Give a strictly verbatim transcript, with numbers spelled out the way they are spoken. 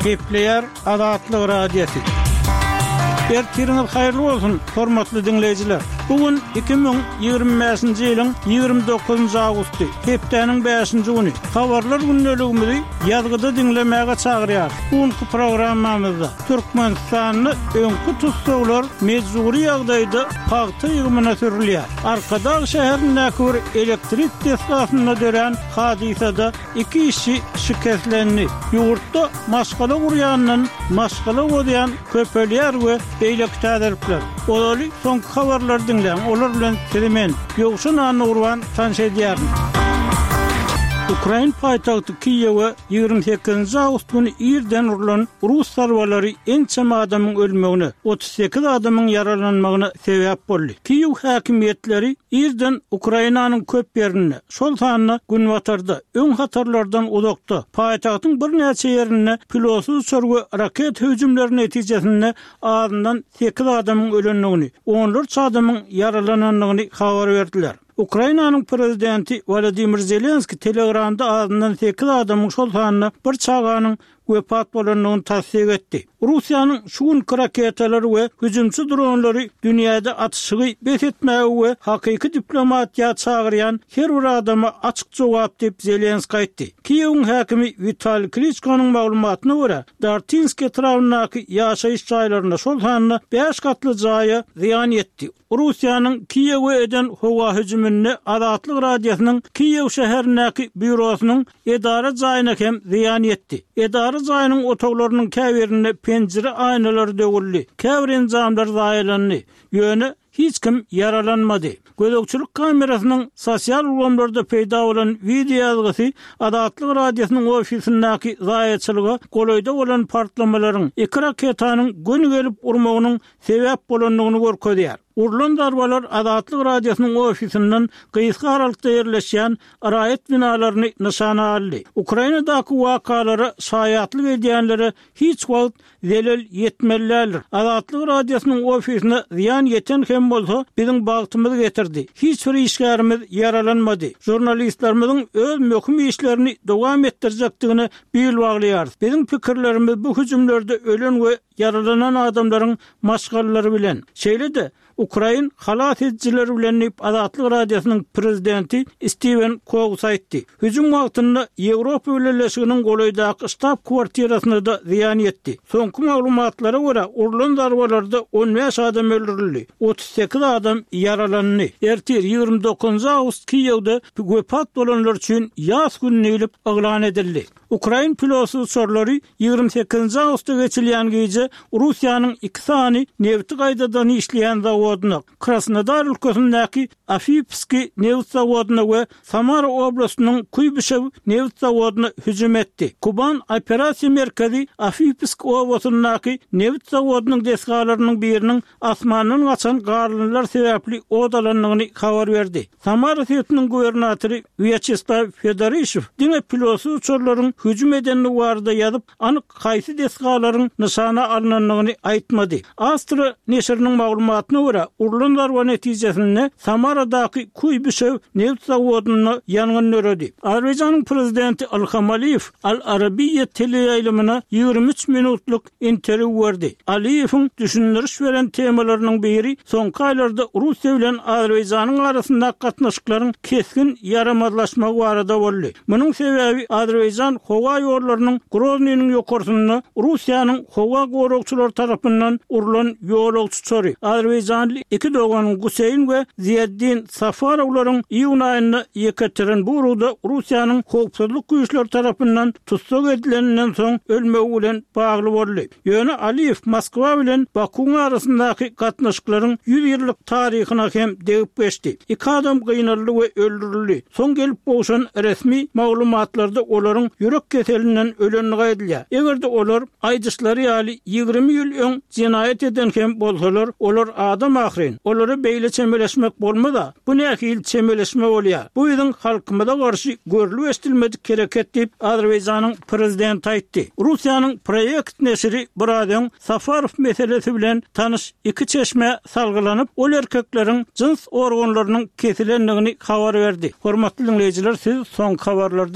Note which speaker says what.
Speaker 1: Gepleýär Azatlyk Radiosy. Ertiriňiz haýyrly bolsun, hormatly diňleýjiler. Bu gün iki müň ýigrimi bäşinji ýylyň ýigrimi dokuzynjy awgusty, hepdäniň bäşinji güni. Habarlar gündeligimizi ýazgyda diňlemäge çagyrýarys. Bu günki programmamyzda Türkmenistanda öňki tussaglar mejbury ýagdaýda pagta ýygymyna sürülýär. Arkadag şäherindäki bir elektrik desgasynda dörän hadysada iki işçi şikeslendi. Ýurtda maşgala gurýandan maşgala bozýan köpelýär we beýleki täzelikler. Ozaly soňky habarlary diňläň, olar bilen sizi men, Ýowşan Annagurban tanyş edýärin. Ukrain paýtagty Kiýewe ýigrimi sekizinji awgust güni irden urlan rus zarbalary ençeme adamyň ölmegine, otuz sekiz adamyň ýaralanmagyna sebäp boldy. Kiýew häkimiýetleri irden Ukrainanyň köp ýerinde, şol sanda günbatarda, öň hatarlardan uzakda, paýtagtyň birnäçe ýerinde pilotsyz uçar we raketa hüjümleri netijesinde azyndan sekiz adamyň ölendigini, onlarça adamyň ýaralanandygyny habar berdiler. Ukrainanyň prezidenti Wolodymyr Zelenskiý Telegramda azyndan sekiz adamyň, şol sanda bir çaganyň wepat bolandygyny tassyk etdi. Russiýanyň şu günki raketalary we hüjümçi dronlary dünýäde atyşygy bes etmäge we hakyky diplomatiýa çagyrýan her bir adama açyk jogap diýip, Zelenskiý aýtdy. Kiýewiň häkimi Witaliý Kliçkonyň maglumatyna görä, Dartinsk etrabyndaky ýaşaýyş jaýlaryna, şol sanda bäş gatly jaýa zyýan ýetdi. Russiýanyň Kiýewe eden howa hüjüminde Azatlyk Radiosynyň Kiýew şäherindäki býurosynyň edara jaýyna hem zyýan ýetdi. Edara jaýynyň otaglarynyň käbirinde penjire aýnalary döwüldi, käbir enjamlar zaýalandy, ýöne hiç kim ýaralanmady. Gözegçilik kamerasynyň sosial ulgamlarda peýda bolan wideoýazgysy Azatlyk Radiosynyň ofisindäki zaýaçylyga golaýda bolan partlamalaryň, iki raketanyň göni gelip urmagynyň sebäp bolandygyny görkezýär. Urlan zarbalar Azatlyk Radiosynyň ofisinden gysga aralykda ýerleşýän raýat binalaryny nyşana aldy. Ukrainadaky wakalara şaýatlyk edýänlere hiç wagt zelel ýetmeli däldir. Azatlyk Radiosynyň ofisine zyýan ýeten hem bolsa, biziň bagtymyzy getirdi. Hiç bir işgärimiz ýaralanmady. Žurnalistlerimiziň öz möhüm işlerini dowam etdirjekdigine bil baglaýarys. Biziň pikirlerimiz bu hüjümlerde ölen we ýaralanan adamlaryň maşgalalary bilen, şeýle-de ukrain halas edijileri bilen diýip, Azatlyk Radiosynyň prezidenti Stiwen Kouks aýtdy. Hüjüm wagtynda Ýewropa Bileleşiginiň golaýdaky ştab-kwartirasyna-da zyýan ýetdi. Soňky maglumatlara görä, urlan zarbalarda on bäş adam öldürildi, otuz sekiz adam ýaralandy. Ertir, ýigrimi dokuzynjy awgust Kiýewde wepat bolanlar üçin ýas güni diýlip yglan edildi. Ukrain pilotsyz uçarlary ýigrimi sekizinji awgustda geçilýän gije Russiýanyň iki sany nebti gaýtadan işleýän zawodyna, Krasnodar ülkesindäki Afipskiý nebit zawodyna we Samara oblastynyň Kuýbyşew nebit zawodyna hüjüm etdi. Kuban operasiýa merkezi Afipsk obasyndaky nebit zawodynyň desgalarynyň biriniň asmandan gaçan garyndylar sebäpli ot alandygyny habar berdi. Samara sebitiniň gubernatory Wýaçeslaw Fedorişew diňe pilotsyz uçarlaryň hüjüm edendigi barada ýazyp, anyk haýsy desgalaryň nyşana alnandygyny aýtmady. Astra neşiriniň maglumatyna görä, urlan zarba netijesinde Samaradaky Kuýbyşew nebit zawodynda ýangyn döredi. Azerbaýjanyň prezidenti Ilham Aliýew Al Arabiýa teleýaýlymyna ýigrimi üç minutlyk interwýu berdi. Aliýewiň düşündiriş beren temalarynyň biri soňky aýlarda Russiýa bilen Azerbaýjanyň arasyndaky gatnaşyklaryň kesgin ýaramazlaşmagy barada boldy. Munuň sebäbi Azerbaýjan howa ýollarynyň Groznynyň ýokarsynda Russiýanyň howa goragçylary tarapyndan urlan ýolagçy uçary, azerbaýjanly iki dogan Guseýn we Ziýaddin Safarowlaryň iýun aýynda Ýekaterinburgda Russiýanyň howpsuzlyk güýçleri tarapyndan tussag edileninden soň ölmegi bilen bagly boldy. Ýöne Aliýew Moskwa bilen Bakuwyň arasyndaky gatnaşyklaryň ýüz ýyllyk taryhyna hem degip geçdi. Iki adam gynaldy we öldürildi. Soň gelip gowşan resmi maglumatlarda olaryň ýürek keselinden ölendigi aýdylýar. Eger-de olar, aýdyşlary ýaly, ýigrimi ýyl öň jenaýat eden hem bolsalar, olar adam ahyryn. Olara beýle çemeleşmek bolmaz-a. Bu nähili çemeleşme bolýar? Bu biziň halkymyza garşy görlüp-eşidilmedik hereket diýip, Azerbaýjanyň prezidenti aýtdy. Russiýanyň Proýekt neşiri biraz öň Safarow meselesi bilen tanyş iki çeşmä salgylanyp, ol erkekleriň jyns organlarynyň kesilendigini habar berdi. Hormatly diňleýjiler, siz soňky habarlary diňlediňiz.